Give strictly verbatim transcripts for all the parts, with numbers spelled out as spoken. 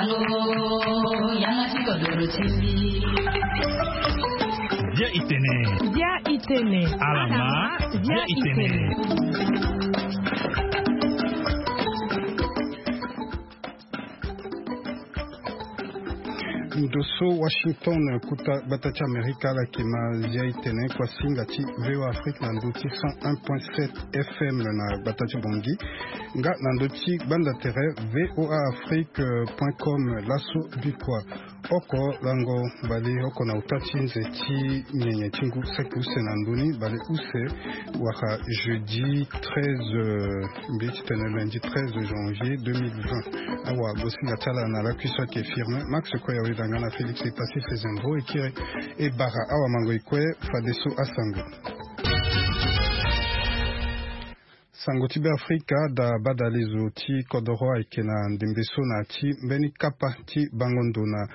Bia itene. Bia itene. Alama. Bia itene. Ndo so Washington, kota gbata ti Amerika, ala yeke ma zia itene kuasinga ti V O A Afrique na ndo ti cent un point sept F M na gbata ti Bangui, nga na ndo ti gbanda tere V O A Afrique point com. Laso bikua oko lango bale oko na uta ti nze ti nyenye ti ngu saki use na ndoni bale use, wala jeudi treize, euh, mbi ti tene lundi treize janvier deux mille vingt. Awa bosinga ti ala na lakui so ayeke Firmin Max Koya, weda nga na Félix Epassi Fezembo, e kiri e bara awa mango e kue fadeso asango. Sango ti Beafrika, da badalezo ti kodoro ayeke na ndembe so na ya ti mbeni kapa ti bango ndo na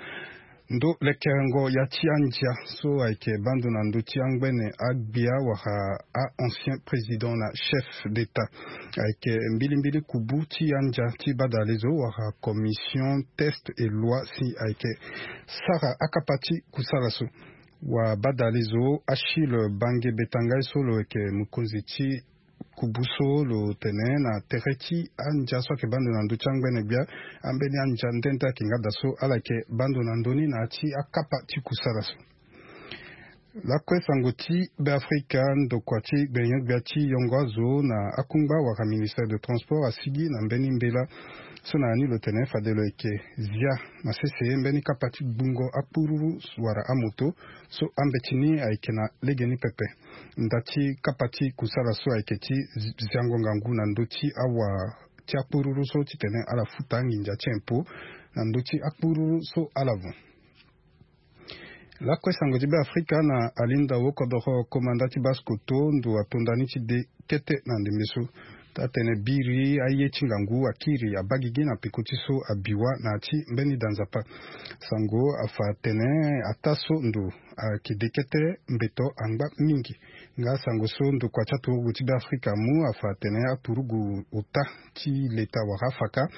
ndo lekerengo ya ti andia so ayeke bando na ndö ti angbene agbia wala a-ancien président na chef d'état. Ayeke mbilimbili kubu ti andia ti badalezo wala commission texte et loi si ayeke sara akapa ti kusala so. Wa badalezo Achille Bange Betangai so lo yeke mokonzi ti kubu so lo tene na tere ti andia so ayeke bando na ndö ti angbene gbia, ambeni andia nde nde ayeke nga daa so ala yeke bando na ndö ni na ya ti akapa ti kusala so. Lakue sango ti Beafrika, ndokua ti gbenyo-gbia ti yongo azo na akungba wala ministère de transport asigi na mbeni mbela so na ya ni lo tene fade lo yeke zia na sese mbeni kapa ti gbungo akpururu wala amoto so ambeti ni ayeke na legeni pepe. Nda ti kapa ti kusala so ayeke ti zi-, ziango ngangu na ndö ti awa ti akpururu so titene ala futa nginza ti impôt na ndö ti akpururu so ala von. Lakue sango ti Beafrika na alindao kodoro komanda ti Basse-Kotto, ndo atonda ni ti de kete na ndembe so. Taa tene biri aye ti ngangu akiri abaa gigi na peko ti so abiwa na ya ti mbeni da nzapa. Sango afa atene ataa so ndo ayeke de kete mbeto angba mingi. Nga sango so ndokua ti aturugu ti Beafrika amu afa atene aturugu ota ti leta wala afaka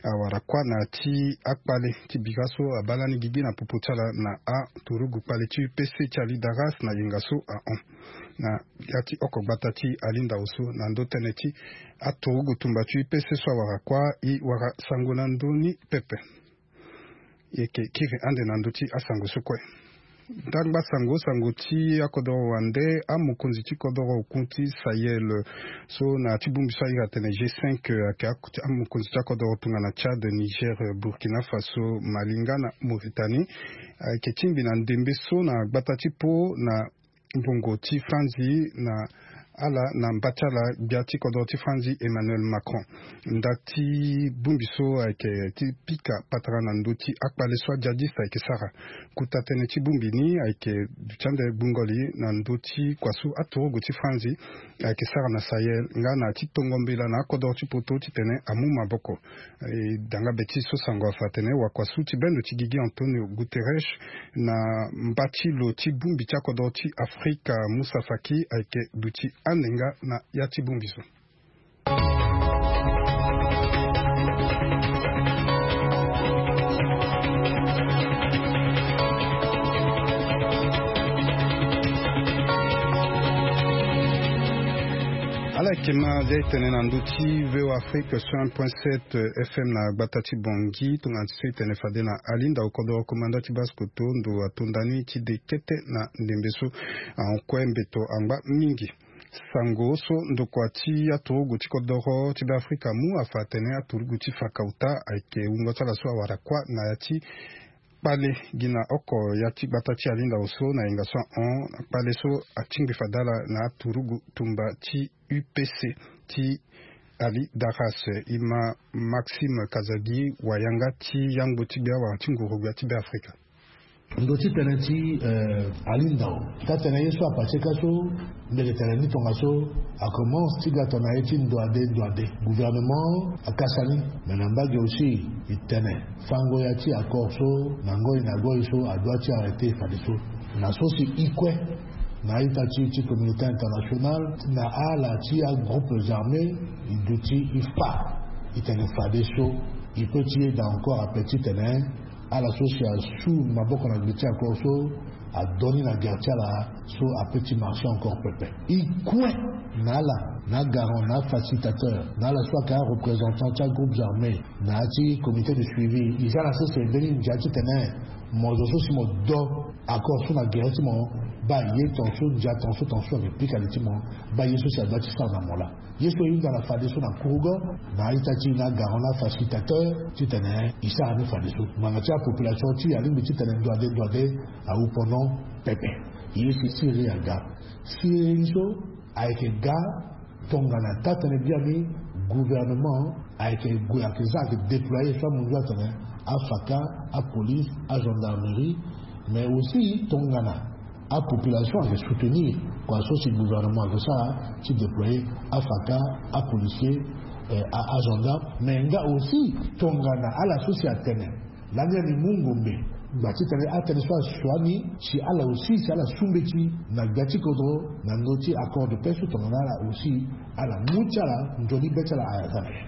awara kuâ na ya ti akpale ti bira so abaa lani gigi na popo ti ala na aturugu kpale ti U P C ti Ali Daras na yenga so ahon. Na ya ti oko gbata ti alindao so na ndö tënë ti aturugu tumba ti U P C so awara kuâ, e wara sango na ndö ni pepe. E yeke kiri ande na ndö ti asango so kue. Ndangba sango, sango ti akodoro wande, amokonzi ti kodoro okun ti Sahel so na ya ti bongbi so a iri atene G cinq, ayeke ak-, amokonzi ti akodoro tongana Tchad, Niger, Burkina Faso, Mali nga na Mauritanie. Ayeke tingbi na ndembe so na gbata ti Po na mbongo ti Franzi na ala na mba ti ala gbia ti kodoro ti Franzi Emmanuel Macron. Nda ti bongbi so ayeke ti pika patara na ndö ti akpale so ajadiste ayeke sara. Kota tënë ti bongbi ni ayeke duti ande gbungo li na ndö ti kua so aturugu ti Franzi ayeke sara na Sahel nga na ya ti tongo mbela na akodoro ti poto titene amu maboko. E, danga be ti so sango afa atene wakua so ti bendo ti gigi Antonio Guterres na mba ti lo ti bongbi ti akodoro ti Afrika Moussa Faki ayeke duti ande nga na ya ti bongbi so. Ala yeke ma zia e tene na ndö ti V O A Afrique sur un point sept F M na gbata ti Bangui, tongana ti so e tene fade na alindao kodoro komanda ti Basse-Kotto, ndo atonda ni ti de kete na ndembe so ahon kue mbeto angba mingi. Sango so ndokua ti aturugu ti kodoro ti Beafrika amu afa atene aturugu ti faka ota ayeke wungo ti ala so awara kuâ na ya ti kpale gi na oko ya ti gbata ti alindao so na yenga so ahon, kpale so atingbi fade ala na aturugu tumba ti U P C ti Ali Daras. E ma Maxime Kazadi, wayanga ti yangbo ti gbia wala ti nguru-gbia ti Beafrika. Ndo ti tene ti, eh, alindao. Taa tene ye so apaseka so, mbi yeke tene ni tongaso, akomanse ti ga tongana ye ti ndo ade, ndo ade. Gouvernement akasa ni, me na mbage aussi, e tene fango ya ti accord so, na ngoi na ngoi so, adoit ti arrêter fadeso. Na so si e kue na a-ita ti, ti communauté internationale, na ala ti agroupes armés, e duti e fa, e tene fadeso. Il peut ti yeda encore ape titene ala so si asu maboko na gbe ti akua so adoni na gere ti ala so ape ti marché encore pepe. E kue na ala, na agarant, na afacilitateur, na ala so ayeke areprésentant ti agroupe armé, na ya ti comité de suivi, e za na sese mbeni ndia titene mo zo so si mo do accord so na gere ti mo, baa ye tongaso ndia tongaso tongaso ayeke pika li ti mo, baa ye so si adoit ti sara na mo laa. Ye so e hunda na fadeso na kurugo na a-ita ti e na agarant na afacilitateur titene e sara ni fadeso. Ngbanga ti apopulation ti e alingbi titene ndoade ndoade awu pendant pepe. Ye si siriri aga. Siriri so ayeke ga tongana taa-tënë biani gouvernement ayeke gue ayeke za ayeke déployer so amunzu atene afaka, apolice, agendarmerie, mais aussi tongana apopulation ayeke soutenir kua so si gouvernement ayeke sara ti déployer afaka, apolicier, eh, a- agenda. Mais nga aussi tongana ala so si atene lani ani mu ngombe gba titene atënë so asua ni si ala aussi si ala su mbeti na gbia ti kodro na ndö ti accord de paix so tongana ala aussi ala mu ti ala nzoni be ti ala aya za na ya.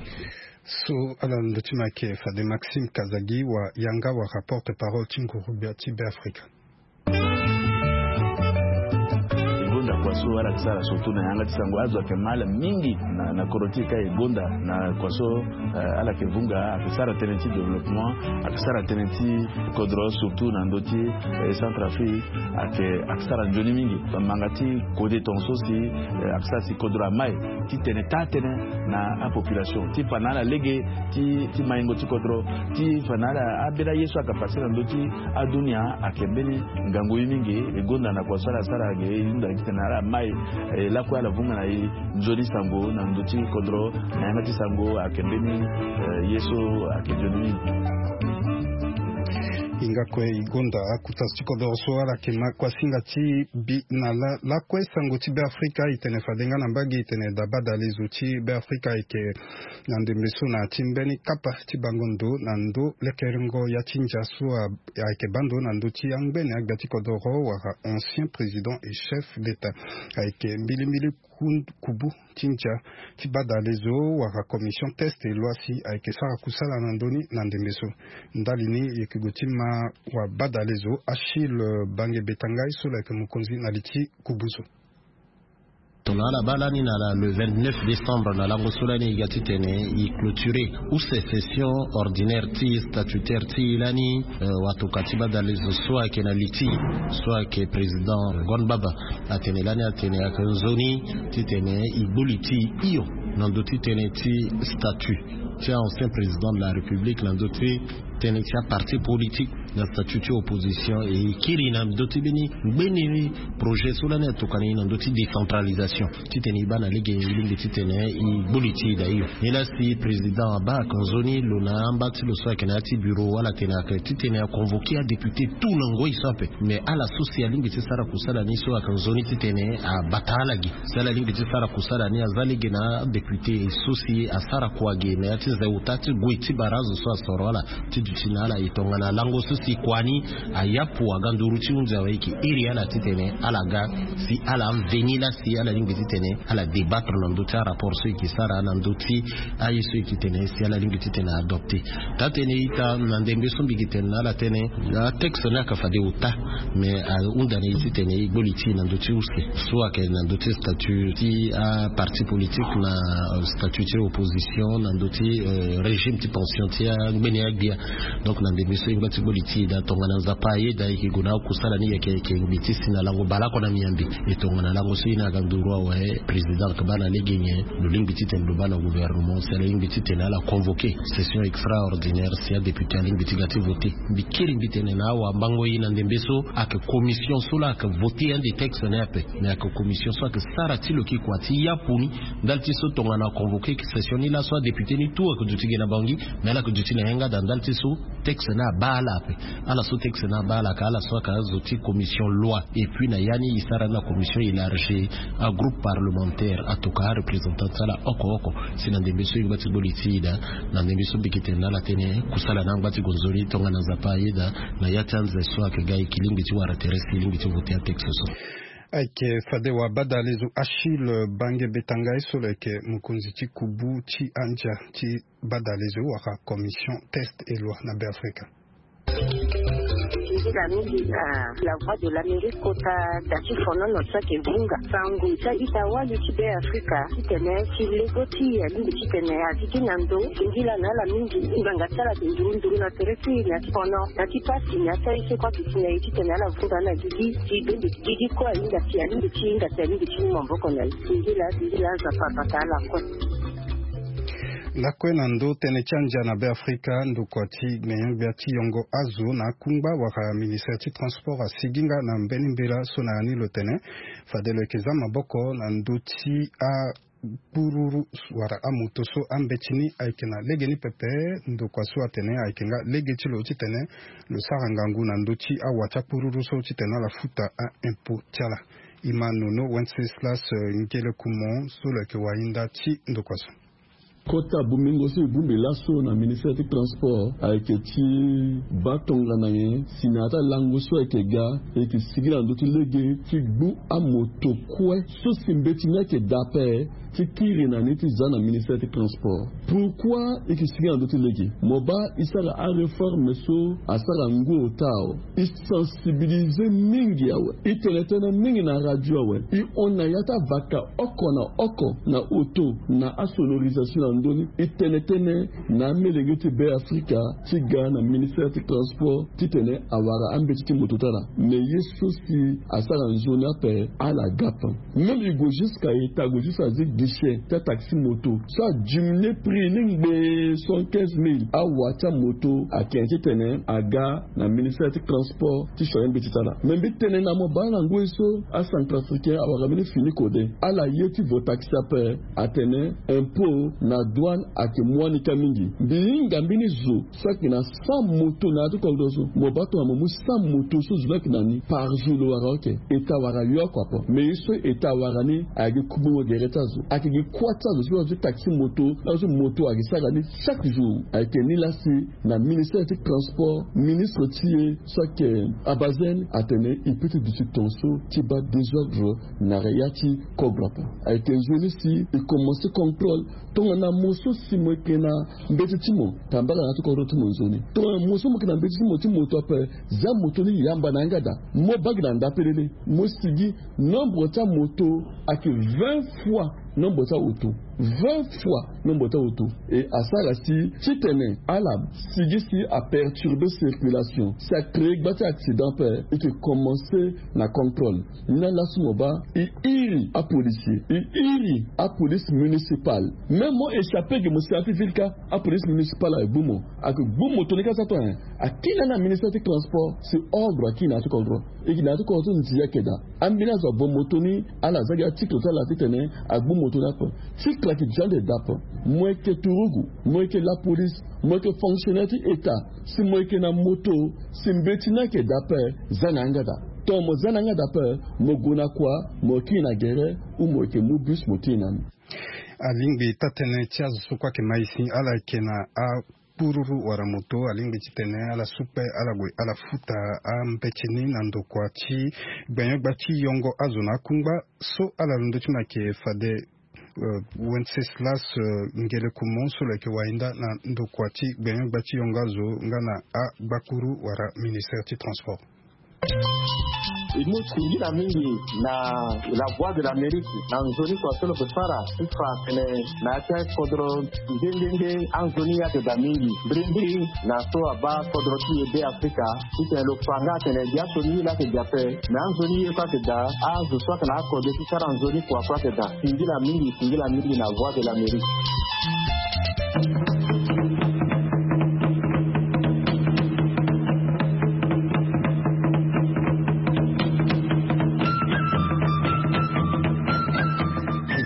So ala ndö ti ma ayeke fade Maxime Kazadi wa yanga wala porte parole ti nguru gbia ti Beafrika. E gonda kua so ala yeke sara surtout na yanga ti sango azo ayeke ma ala mingi na, na kodro ti e ka e gonda na kua so, eh, ala yeke vunga ayeke sara tënë ti développement, ayeke sara tënë ti kodro surtout na ndö ti, eh, Centrafrique ayeke, ayeke sara nzoni mingi. Manga ti kode tongaso si, eh, ayeke sara si kodro amai titene taa-tënë na apopulation ti fa na ala lege ti, ti maingo ti kodro, ti fa na ala ambeni aye so ayeke pase na ndö ti adunia ayeke mbeni ngangu ye mingi. E gonda na kua so ala sara ayeke e hunda titene ala mai, eh, lakue ala vunga na e nzoni sango na ndö ti kodro na yanga ti sango ayeke mbeni, eh, ye so ayeke nzoni mingi. Hinga kue e gonda akuta ti kodro so ala yeke ma kuasinga ti bi na la lakue sango ti Beafrika e tene fade nga na mbage e tene daa badalezo ti Beafrika ayeke na ndembe so na ya ti mbeni kapa ti bango ndo na ndo lekerengo ya ti ndia so a- ayeke baa ndo na ndö ti angbene agbia ti kodoro wala ancien président et chef d'état ayeke mbilimbili ku- kubu ti ndia ti badalezo wala commission test et loi si ayeke sara kusala na ndö ni na ndembe so. Ndali ni e yeke gue ti ma wa badalezo Achille Bange Betangai so lo yeke mokonzi na li ti kubu so. Tongana ala baa lani na la le vingt-neuf décembre na lango so lani e ga titene e clôturer use session ordinaire ti statutaire ti e lani, eh, watoka ti badalezo so ayeke na li ti e so ayeke président Gon Baba atene lani atene ayeke nzoni titene e gbu li ti e hio na ndö ti tënë ti statut ti ancien président de la République na ndö ti tënë ti aparti politique na statut ti opposition e kiri na ndö ti mbeni ngbeni projet so lani atokani na ndö ti décentralisation titene e baa na lege e lingbi titene e gbu li ti e daa hio. Nilaa si président abaa ayeke nzoni lo na amba ti lo so ayeke na ya ti bureau ala tene ayeke titene aconvoquer adéputé tout na ngoi so ape. Mais ala so si alingbi ti sara kusala ni so ayeke nzoni titene abata ala gi si ala lingbi ti sara kusala ni aza lege na adéputé so si asara kua gi na ya ti nze ota ti gue ti bara azo so asoro ala ti duti na ala e tongana lango so si kua ni ayapu aga nduru ti hunzi awe e yeke iri ala titene ala ga si ala veni laa si ala lingbi titene ala débattre na ndö ti arapport so e yeke sara na ndö ti aye so e yeke tene si ala lingbi titene adopter. Taa-tënë ita na ndembe so mbi yeke tene na ala tënë atexte ni ayeke fade ota. Mais ahunda na e titene e gbu li ti e na ndö ti use so ayeke na ndö ti statut ti aparti politique na, euh, statut ti opposition na ndö ti, euh, régime ti pension ti angbeni agbia. Donc na ndembe so e ngba ti gbu li ti e daa tongana Nzapa ayeda e yeke gue na akusala ni yeke yeke ngbi ti si na lango baleoko na miambe. E tongana lango so e na aga nduru awe président ayeke baa na lege nyen lo lingbi titene lo baa na gouvernement si ala lingbi titene ala convoquer session extraordinaire si adéputé alingbi ti ga ti voter. Mbi kiri mbi tene na awambango e na ndembe so ayeke commission so laa ayeke voter ande texte ni ape. Mais ayeke commission so ayeke sara ti lo yeke kua ti yapu ni ndali ti so tongana aconvoquer session ni laso adéputé ni tout ayeke duti gi na bango gi. Mais ala yeke duti na yanga daa ndali ti so texte ni abaa ala ape. Ala so texte ni abaa ala ayeke ala so ayeke azo ti commission loi. Et puis na ya ni e sara ni na commission élargie agroupe parlementaire atoka areprésentant ti ala oko oko. Si na ndembe so e ngba ti gbu li ti e daa na ndembe so mbi yeke tene na ala tënë kusala ni angba ti gue nzoni tongana Nzapa ayeda na ya ti anze so ayeke ga e yeke lingbi ti wara tere si e lingbi ti voter atexte so. Ayeke fade wabadalezo Achille Bange Betangai so lo yeke mokonzi ti kubu ti andia ti badalezo wala commission test et loi na Beafrika. Nzila mingi na la voix de l'Amérique kota da ti fonono ti ayeke vunga sango ti a-ita wali ti Beafrika titene ti lego ti alingbi titene azi gi na ndo. Singila na ala mingi ngbanga ti ala ayeke nduru nduru na tere ti na ti fono na ti pasi na ti aye so kue ayeke si na ye titene ala vunga na gigi ti bembe gigi kue ahinga si alingbi ti hinga si alingbi ti mu maboko na ye. Singila singila Nzapa abata ala kue. Lakue na ndo tënë ti andia na Beafrika, ndokua ti gbenyo-gbia ti yongo azo na akungba wala ministre ti transport asigi nga na mbeni mbela so na ya ni lo tene fade lo yeke za maboko na ndö ti akpururu wala amoto so ambeti ni ayeke na legeni pepe. Ndokua so atene ayeke nga lege ti lo titene lo sara ngangu na ndö ti awa ti akpururu so titene ala futa a-impôt ti ala. E ma nono Wenceslas Ngelekumon so lo yeke wahinda ti ndokua so. Kota bongbingo so e bongbi laso na ministere ti transport ayeke ti baa tongana nyen si na ya ti alango so ayeke ga e yeke sigi na ndö ti lege ti gbu amoto kue so si mbeti ni ayeke daa ape ti kiri na ni ti za na ministere ti transport. Pourkoi e yeke sigi na ndö ti lege? Mo baa e sara areforme so asara ngu ota awe. E sensibilize mingi awe. E tene tënë mingi na radio awe. E hon na ya ti avaka oko na oko na auto na asonorisation na ndö ni. E tene tënë na amolenge ti Beafrika ti ga na ministere ti transport titene awara ambeti ti moto ti ala. Me ye so si asara nzoni ape ala ga ape. Même e gue jusqu'à eta gue jusqu'à zi guichet ti ataxi moto so adiminué prix ni ngbee soixante-quinze mille. Awa ti amoto ayeke titene aga na ministere ti transport ti sioni mbeti ti ala. Me mbi tene na mo baa na ngoi so acentrafricain awara mbeni fini kode ala ye ti vo taxi ape. Atene impôt na douane ayeke mu wani kâ mingi. Mbi hinga mbeni zo so ayeke na cent moto na ya ti kodro so. Mo baa tongana mo mu cent moto so zo ni ayeke na ni par jour lo wara oke. Eta wara yo oko ape. Me ye so eta wara ni ayeke gi kumbongo gere ti azo. Ayeke gi kuâ ti azo so azo ti taxi moto na azo ti moto ayeke sara ni chaque jour. Ayeke ni laa si na ministere ti transport ministre ti e so ayeke Abazel atene e peut ti duti tongaso ti baa désordre na ya ti kogro ape. Ayeke nzoni si e commencé contrôle tongana mo so si mo yeke na mbeti ti mo tambara na ya ti kodro ti mo nzoni. Tongana mo so mo yeke na mbeti ti mo ti moto ape za moto ni yamba na yanga daa. Mo baa gi na nda pelele mo sigi nombre ti amoto ayeke vingt fois nombre ti aoto. Vingt fois nombre ti aoto. E asara si titene ala sigi si aperturbe circulation si acréé gba ti accident ape. E yeke commencé na contrôle. Ni laa laso mo baa e iri apolisier e iri apolice municipale. Même mo échappé ge mo si na ya ti ville kâ apolice municipale ayeke gbu mo. Ayeke gbu moto ni kâ so ape. Akiri na ni na ministere ti transport si ordre akiri na ya ti kodro. E yeke na ya ti kodro so ndia ayeke daa. Ambeni azo avo moto ni ala za gi atikle ti ala titene agbu moto ni ape. Tikle ayeke dia ande daa ape. Mo yeke turugu, mo yeke lapolice, mo yeke fonctionnaire ti état, si mo yeke na moto si mbeti ni ayeke daa ape, za na yanga daa. Tongana mo za na yanga daa ape mo gue na kua? Mo kiri na gere ou mo yeke mu bus mo kiri na ni. Alingbi taa-tënë ti azo so kue ayeke ma e si ala yeke na akpururu wala moto alingbi titene ala su kpe ala gue ala futa ambeti ni na ndokua ti gbenyo-gbia ti yongo azo na akungba so ala londo ti mo ayeke fade Wenceslas Ngelekumon so lo yeke wahinda na ndokua ti gbenyo-gbia ti yongo azo nga na agbakuru wala ministere ti transport. E mu singila mingi na la voix de l'Amérique na nzoni kua so lo yeke fara ti fa tene na ya ti akodro nde nde nde anzoni ayeke daa mingi. Mbirimbiri na so abaa kodro ti e Beafrika titene lo fa nga atene gi asioni ye laa ayeke daa ape. Me anzoni ye kue ayeke daa. Azo so ayeke na akode ti sara nzoni kua kue ayeke daa. Singila mingi singila mingi na voix de l'Amérique.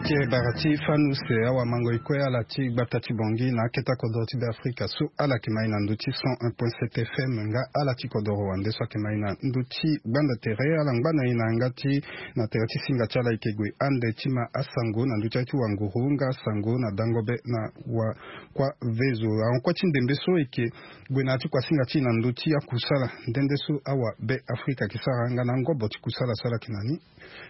Ti e bara Ti fani use awamango e kue ala ti gbata ti Bangui na akete kodoro ti Beafrika so ala yeke mai na ndö ti cent un point sept F M nga ala ti kodoro wande so ayeke mai na ndö ti gbanda tere. Ala ngba na e na yanga ti na tere ti singa ti ala e yeke gue ande ti ma asango na ndö ti aye ti wanguru nga asango na dango be na wa kuâ vezo. Ahon kuâ ti ndembe so e yeke gue na ya ti kuasinga ti e na ndö ti akusala nde nde so awabe Afrika ayeke sara nga na angobo ti kusala so ala yeke na ni.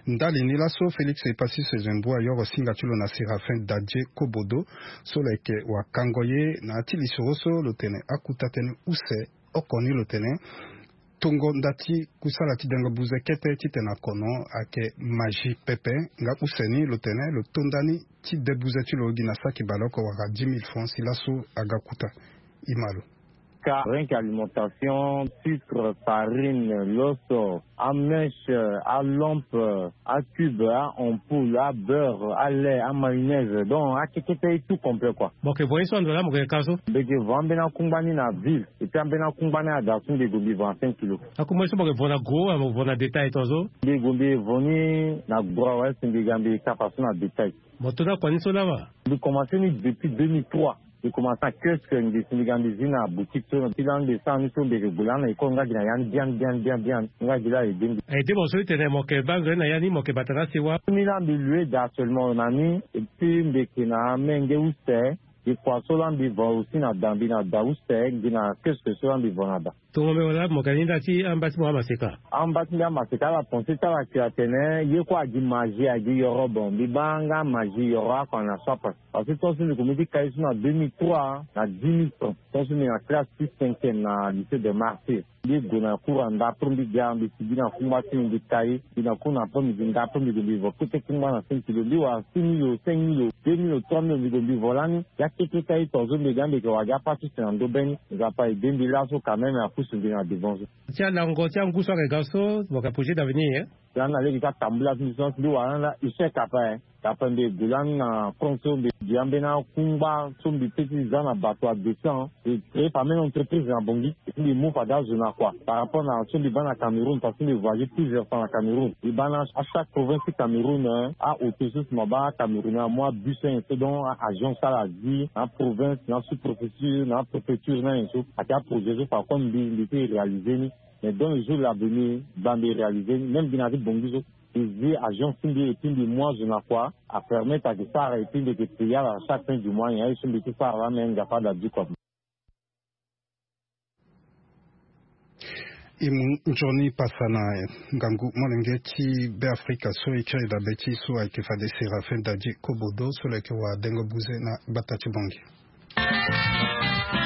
Ndali ni laso Félix Epassi Sezembo ayoro singa ti lo na Séraphin Dadje Kobodo so lo yeke wakango ye na ya ti lisoro so lo tene akuta tënë use oko ni lo tene tongo nda ti kusala ti dengo buze kete titene akono ayeke magie pepe. Nga use ni lo tene lo to nda ni ti de buze ti lo gi na saki baleoko wala dix mille francs si laso aga kuta. E ma lo. Car rien qu'alimentation, sucre, farine, loso, amèche, alampe, acube, aampoule, abeurre, alait, amayonnaise. Donc akekete e tout complet quoi. Mo yeke vo ye so ando laa mo yeke ka so? Mbi yeke vo ambeni akungba ni na ville. Et puis ambeni akungba ni ada so mbi gue mbi vo na cinq kilos. Akungba ye so mo yeke vo na gros wala mo vo na détail tongaso? Mbi gue mbi vo ni na gros awe si mbi ga mbi kapa so na détail. Mo to ni akua ni so laa wa? Mbi commencé ni depuis deux mille trois. Mbi commencé na kiosque, mbi si mbi ga mbi zi na boutique so ti laa mbi sara ni so mbi yeke gue laa na école nga gi na ya ni biani biani biani biani nga gi laa aide mbi. Aide mo so ti tene mo yeke baa nzoni na ya ni mo yeke bata na asewa? Ni laa mbi loue daa seulement na ni. Et puis mbi yeke na amenge use. Gi kua so laa mbi vo aussi na da mbi na da use gi na kiosque so laa mbi vo na da. Tongo mbi wala mo yeke na ni nda ti amba ti mo amaseka? Amba ti mbi amaseka ala pensé ti ala yeke atene ye kue agi magie agi yoro. Bon mbi baa nga magie yoro oko na so ape. Parce que tongaso mbi komi ti kai so na deux mille trois na dix mille francs tongaso mbi na classe ti cinquième na lycée de martyr. Mbi gue na cours anda après mbi ga mbi sigi na kungba ti mbi mbi kai. Mbi na cours na après midi nga après mbi gue mbi vo kete kungba na cinq kilo mbi wara six mille cinq mille deux mille trois mille mbi gue mbi vo lani. Ya kete kai tongaso mbi ga mbi yeke wara gi apa ti use na ndo be ni. Nzapa aide mbi laso quand même apusu mbi na devant so. Ti alango ti angu so ayeke ga so mo yeke projet d'avenir? Lani na lege ti atambula ti mbi so mbi wara lani la échec ape. Ape mbi gue lani na France so mbi gi ambeni akungba so mbi pe ti za na bato adescend. Mbi créé pa même entreprise na Bangui. Mbi move fade azo na kua par rapport na so mbi baa na Cameroun parce que mbi voyagé plusieurs fois na Cameroun. Mbi baa na achaque province ti Cameroun. Aauto so si mo baa Cameroun amu abus so nyen so donc aagence ala zi na aprovince na asous-préfecture na apréfecture na nyen so. Ayeke aprojet so par contre mbi mbi ti réalisé ni. Mais dans le jour l'avenir ba mbi réalisé ni même mbi na ya ti Bangui so. Mbi zi agence ti mbi et puis mbi mu azo na kua. Apermettre ayeke sara et puis mbi yeke payé ala chaque fin du mois nyen aye so mbi ti sara laa mais Nzapa ada du kua. E mu nzoni pasa na ngangu molenge ti Beafrika so e kiri dabe ti e so ayeke fade Séraphin Dadje Kobodo so lo yeke wa dengo buze na gbata ti Bangui.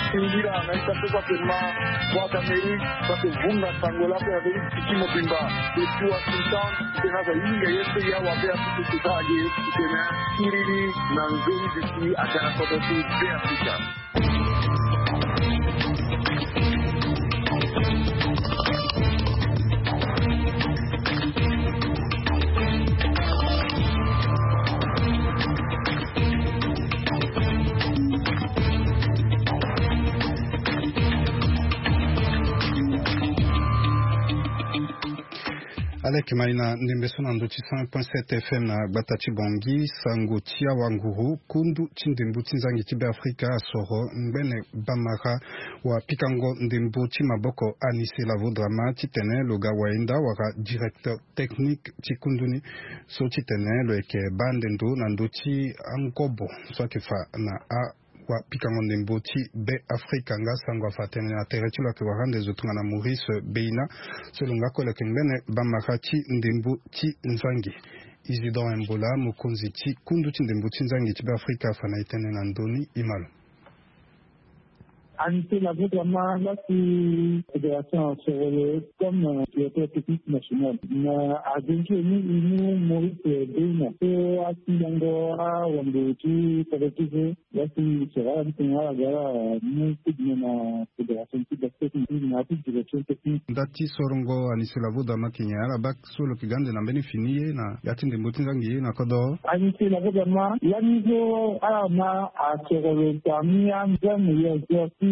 Singila na ita so so ayeke ma Voix d'Amérique so ayeke vunga sango laa so ayeke ti ti mobimba. Depuis Washington tena aza hinga ye so ya wabe aso so si sara ge titene siriri na nzoni duti aga na kodro ti Beafrika. Aleke mai na ndembe so na ndö ti cent point sept F M na gbata ti Bangui, sango ti awanguru kundu ti ndembo ti nzangi ti Beafrika asoro ngbene bamara wa pikango ndembo ti maboko Anissé Lavo Drama titene lo ga wayenda wala directeur technique ti kundu ni so titene lo yeke baa nde ndo na ndö ti angobo so ayeke fa na a wa pikango ndembo ti Beafrika nga sango afa tene na tere ti lo ayeke wara nde zo tongana Maurice Beina so lo nga kue lo yeke ngbene bamara ti ndembo ti nzangi. Isidore Mbola, mokonzi ti kundu ti ndembo ti nzangi ti Beafrika afa na e tënë na ndö ni, e ma lo. Anissé Lavo Drama laa si fédération asoro lo comme directeur technique national. Na azo ni e mu Maurice Beina so atindango awande ti collectif. Laa si soro ala ti tene ala ga ala mu kudime na fédération ti basket ni na ya ti direction technique. Nda ti sorongo Anissé Lavo Drama ayeke nyen? Ala baa so lo yeke ga ande na mbeni fini ye na ya ti ndembo ti nzangi ye na kodoro? Anissé Lavo Drama lani so ala ma asoro lo parmi anzoni meilleur joueur ti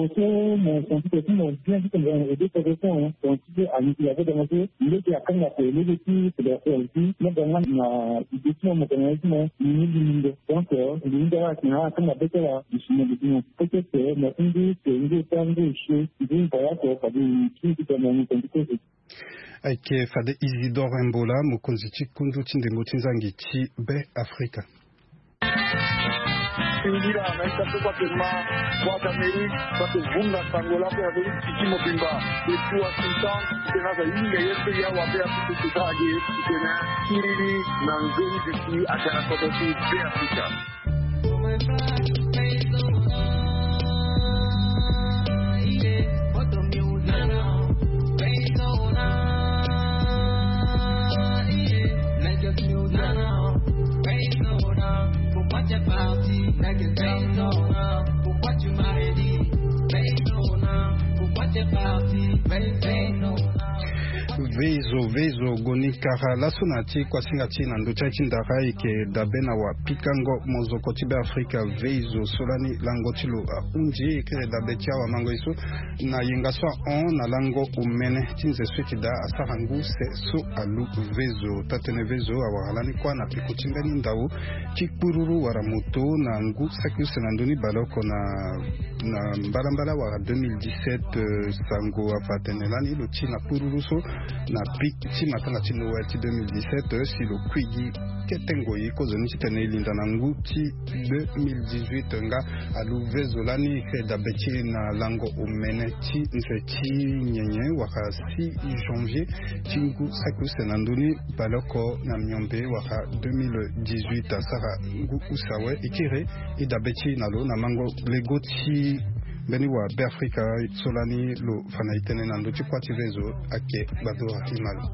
mo so mo scientifique ti mo bien ti tongana ede toko so. Donc ti so alingbi avoda mo so lege akanga pe lege ti fédération aussi mo ga nga na idée ti mo mo tongana ye ti mo ni ni lingo. Donc lingo ala tena ala kanga be ti ala. Isi mo de ti mo peut-être mo ti ngu pe ngu ta ngu isi ngu mpaya ko fade ti ti tongana ni tongana ti kozo. Ayeke fade Isidore Mbola, mokonzi ti kundu ti ndembo ti nzangi ti Be Afrika. Singila na ita so kua pema, kua d'Amérique, kua pe vunga sango la pe Amérique ti ti mobimba. E ti Washington, tena za hinga ye pe ya wa pe ya pe ti sa age, tena siriri na nzoni ti ti agara koto ti Be Afrika. Veizo veizo goni kara laso na ti kuasinga ti na ndo ti aye ti ndara eke dabe na wa pikango mozoko ti Be Afrika. Veizo so lani lango ti lo ahunzi eke dabe ti awamango ye so na yenga so ahon na lango omene ti nze so eke daa asara ngu se so alu. Veizo taa-tënë veizo awara lani kuâ na peko ti mbeni ndau ti kpururu wala moto na ngu saki use na ndö ni baleoko na na mbalambala wala deux mille dix-sept. Sango afa atene lani lo ti na kpururu so na pik ti matanga ti Noël ti deux mille dix-sept si lo kui gi kete ngoi kozoni titene e linda na ngu ti deux mille dix-huit nga alu veizo lani eke dabe ti e na lango omene ti nze ti nyenye wala six janvier ti ngu saki use na ndö ni baleoko na miombe wala deux mille dix-huit asara ngu use awe e kiri e dabe ti e na lo na mango lego ti mbeni wa Be Afrika so lani lo fa na e tënë na ndö ti kuâ ti veizo. Ake gbadora ti malo.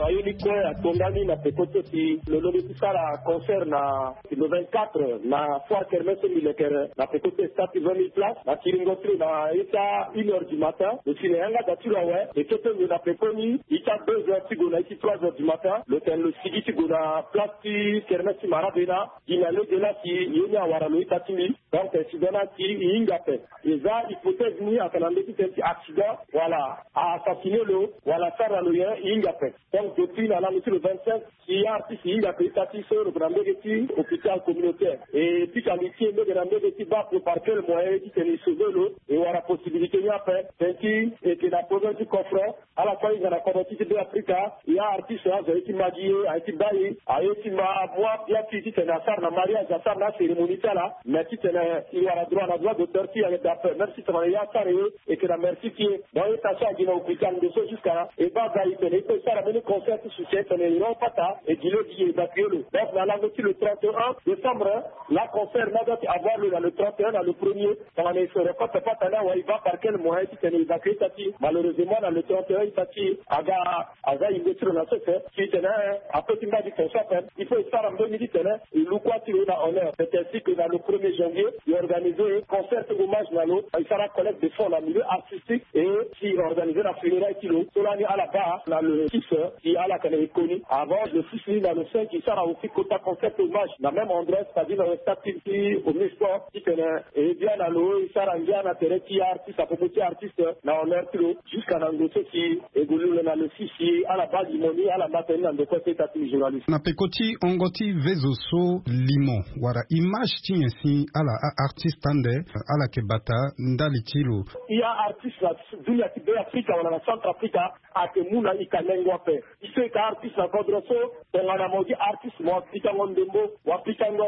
Aye ni kue atongani na peko ti si lo londo ti sara concert na le vingt-quatre na foire kermesse militaire na peko ti stade vingt mille places na kiringo ti lo na ita une heure du matin. Lo si na yanga da ti lo awe, e kete ndio na peko ni ita deux heures ti gue na iti trois heures du matin. Lo tene lo sigi ti gue na place ti kermesse ti Marabena. Gi na lege la si ye ni awara lo ita ti mbi. Donc si dona si e hinga ape. E za hypothèse ni ayeke na ndö ti tene ti accident wala a assassiner lo wala asara lo nyen, e hinga ape. Donc depuis na lango ti le vingt-cinq, si artiste e hinga ape ita ti so lo yeke na mbege ti hôpital communautaire, e pika li ti e mbege na mbege ti baa ape par quel moyen ti tene e sauver lo, e wara possibilité ni ape. Tene ti e yeke na problème ti coffre. Ala kue ahinga na kodro ti ti Beafrika. Ya artiste azo aye ti ma gi ye, aye ti baa ye, aye ti ma amoi bien ti ti tene asara na mariage, asara na acérémonie ti ala. Mais ti tene e wara droit na droit d'auteur ti e ayeke daa ape, même si tongana ye asara ye, e yeke na merci ti e. Donc ye ta so agi na hôpital ndo so jusqu'à e baa ga e tene e peut sara mbeni concert ti soutien, tene e rend pata, e gi lo gi e évacuer lo. Donc na lango ti le trente et un décembre, la concert ni adoit ti avoir lo na le trente et un na le premier. Tongana e so record pata ni awe, e baa par quel moyen ti tene e évacuer ita ti e. Malheureusement na le trente et un ita ti e aga aza yingo ti lo na sese. Si tene ape ti mbage ti tene so ape, il faut e sara mbeni ti tene e lu kua ti lo na honneur. C'est ainsi que na le premier janvier e organiser concert hommage na lo, e sara collecte de fonds na milieu artistique et si e organiser na funérailles ti lo. So lani ala baa na le six, si ala tene e koni. Avant le six ni na le cinq e sara aussi kota concert hommage na même endroit, c'est-à-dire na stade ti Omnisport, ti tene e bia na lo e sara ngia na tere ti artiste apopo ti artiste na honneur ti lo. Jusqu'à na ngu so si e gue lu lo na le six si ala baa limo ni, ala ma tene ni na ndokua ti e ita ti journaliste. Na peko ti hongo ti vezo so, limo wala image ti nyen si ala a-artiste ande ala yeke bata ndali ti lo? I a-artiste na dunia ti Beafrika wala na Centrafrique ayeke mu na i ka nengo ape. I so i ka artiste na kodro so, tongana mo gi artiste mo pikango ndembo, wa pikango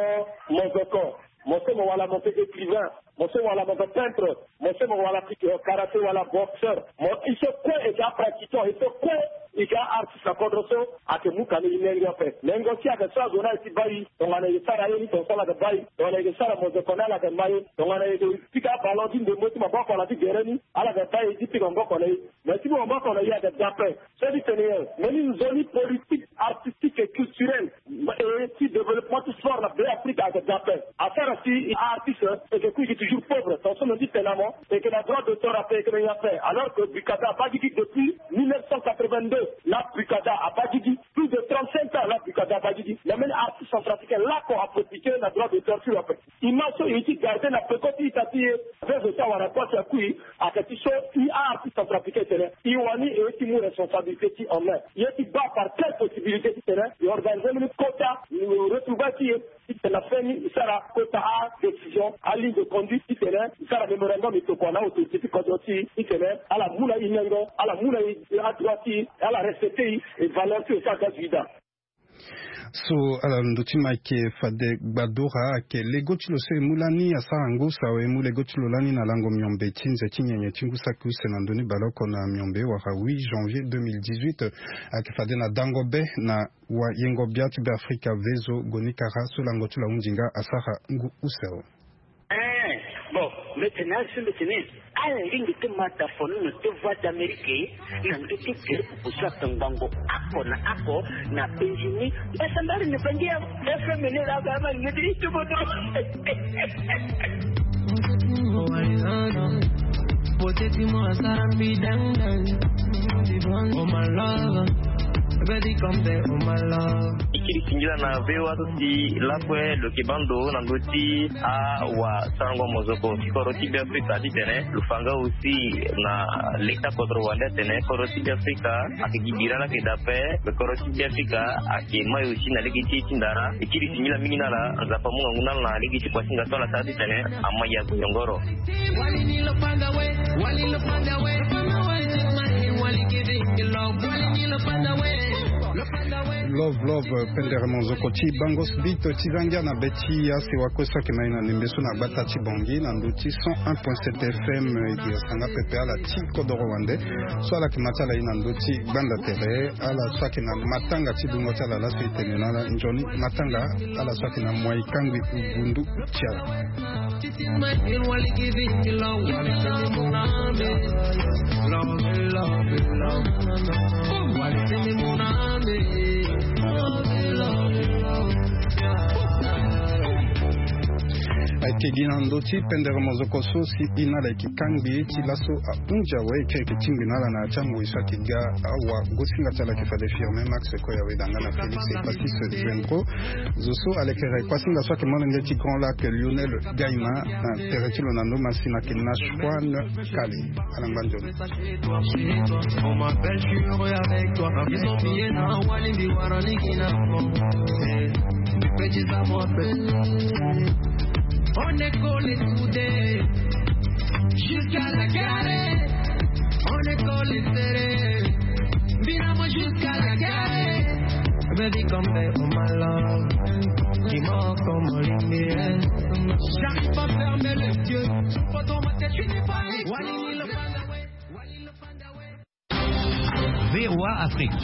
mozoko, mo so mo wala mo yeke écrivain, mo so mo wala mo yeke peintre, mo so mo wala karaté wala boxeur. Mo i so kue e yeke apratiquant, i so kue i yeke artiste na kodro so, ayeke mu ka na i nengo ape. Nengo ti ayeke so azo ni aye ti baa i, tongana e sara ye ni tongaso ala yeke baa i, tongana e yeke sara mozoko ni ala yeke ma ye, tongana e yeke pika ballon ti ndembo ti maboko na ti gere ni ala yeke baa e ti pika maboko na e. Mais ti maboko na e ayeke dape. So ti tene nyen? Mbeni nzoni politique artistique et culturelle et ti développement ti sport na Beafrika ayeke dape. Asara si artiste e yeke kui e yeke toujours pauvre. Tongaso lo ti tene na mo, e yeke na droit d'auteur ape, e yeke na nyen ape? Alors que Bricada abaa gigi depuis mille neuf cent quatre-vingt-deux. La Bricada abaa gigi, plus de trente-cinq ans la Bricada abaa gigi. Mais mbeni artiste centrafricain lako ape piqué na droit d'auteur ti lo ape. Image so e ye ti garder na peko ti ita ti e. Vezo so awara kua si akui, ayeke ti so i a-artiste centrafricain tene i wani e ye ti mu responsabilité ti en main. E ye ti baa par quelle possibilité ti tene e organiser mbeni kota retrouvailles ti e, ti tene na fin ni e sara kota adécision, aligne de conduite, ti tene e sara mémorandum, e tokua na autorité ti kodro ti e, ti tene ala mu na e nengo, ala mu na e adroit ti e, ala respecter e, e valeur ti e so aga vida. So ala ndö ti Mike Fade Gbadora, ayeke lego ti lo so e mu lani asara ngu sawe, e mu lego ti lo lani na lango miombe ti nze ti nyenye ti ngu saki use na ndö ni baleoko na miombe wala huit janvier deux mille dix-huit. Ayeke fade na dango be na wayengo bia ti Beafrika Vezo Goni Kara so lango ti lo ahunzi nga asara ngu use awe. Eh, bon, mbi tene na ala so mbi tene, ala lingbi ti ma ta fono na te Voix d'Amérique, na ndö ti gere pupu so ayeke ngbongo oko na oko na penzi ni. Mbasambala ni bangi ya F M ni la ba ma ni ti tuboto. Beauté ti mo asara mbi dang dang. Oh my love, baby come there, oh my love. E kiri singila na V O A so si lakue lo yeke baa ndo na ndö ti awasarango mozoko ti kodro ti Beafrika ti tene lo fa nga aussi na lege ti akodro wande atene kodro ti Beafrika ayeke gi bira ni ayeke daa ape. Kodro ti Beafrika ayeke mai aussi na lege ti e ti ndara. E kiri singila mingi na ala, Nzapa amu ngangu na ala na lege ti kua ti nga so ala sara ti tene ama ya goyongoro. Love, love, pendere mozoko ti Bangos Beat ti za ngia na be ti ya sewa kue so ayeke na e na ndembe so na gbata ti Bangui na ndö ti cent un point sept F M. E gi asanga pepe ala ti kodoro wande so ala yeke ma ti ala ye na ndö ti gbanda tere. Ala so ayeke na matanga ti dungo ti ala laso e tene na ala nzoni matanga. Ala so ayeke na moi kangbi ngbundu ti ala. Gi na ndö ti pendere mozoko so si e na ala yeke kangbi ti laso ahunzi awe ti ayeke tingbi na ala na ya ti angoi so ayeke ga awa. Gosinga ti ala ayeke fade firme max koya weda nga na félix epasis. Zenko zo so ala yeke re kuasinga so ayeke molenge ti grand lac lionel gaima na tere ti lo na ndo masina ayeke na shuan kale. Ala ngba nzoni. On m'appelle, je suis heureux avec toi. Ils ont mis na wali mbi wara ligi na mo. Petit amour. On est collés soudés jusqu'à la gare. On est collés serrés. Binamo jusqu'à la gare. Baby, come back on my love. Dis-moi comment l'aimer. J'arrive pas à fermer les yeux. Faut dans ma tête, tu n'es pas. Wali, le V O A Afrique,